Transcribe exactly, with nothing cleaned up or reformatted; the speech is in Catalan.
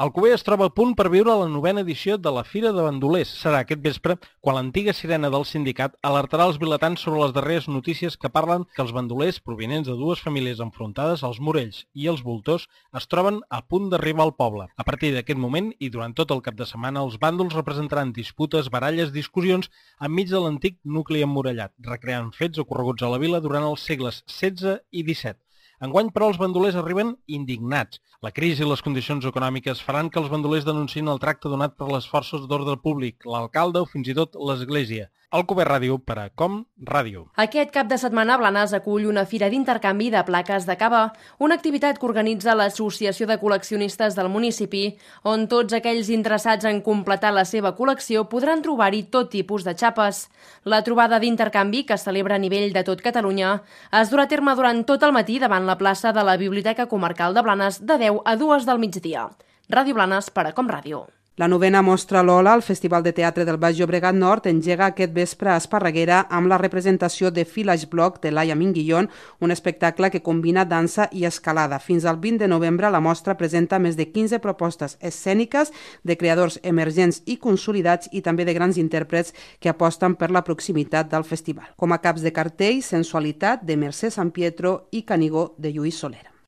Alcover es troba a punt per viure la novena edició de la Fira de Bandolers. Serà aquest vespre quan l'antiga sirena del sindicat alertarà els vilatans sobre les darreres notícies que parlen que els bandolers provinents de dues famílies enfrontades, els Morells i els Voltors, es troben a punt d'arribar al poble. A partir d'aquest moment i durant tot el cap de setmana, els bàndols representaran disputes, baralles, discussions enmig de l'antic nucli emmurallat, recreant fets ocorreguts a la vila durant els segles setze i disset. Enguany, però, els bandolers arriben indignats. La crisi i les condicions econòmiques faran que els bandolers denunciïn el tracte donat per les forces d'ordre públic, l'alcalde o fins i tot l'Església. Alcover Ràdio per a Com Ràdio. Aquest cap de setmana Blanes acull una fira d'intercanvi de plaques de cava, una activitat que organitza l'Associació de Col·leccionistes del municipi, on tots aquells interessats en completar la seva col·lecció podran trobar-hi tot tipus de xapes. La trobada d'intercanvi, que es celebra a nivell de tot Catalunya, es durà a terme durant tot el matí davant la plaça de la Biblioteca Comarcal de Blanes de deu a dues del migdia. Ràdio Blanes per a Com Ràdio. La novena Mostra Lola, el Festival de Teatre del Baix Llobregat Nord, engega aquest vespre a Esparreguera amb la representació de Village Block de Laia Minguillón, un espectacle que combina dansa i escalada. Fins al vint de novembre la mostra presenta més de quinze propostes escèniques de creadors emergents i consolidats i també de grans intèrprets que aposten per la proximitat del festival. Com a caps de cartell, Sensualitat de Mercè Sampietro i Canigó de Lluís Soler.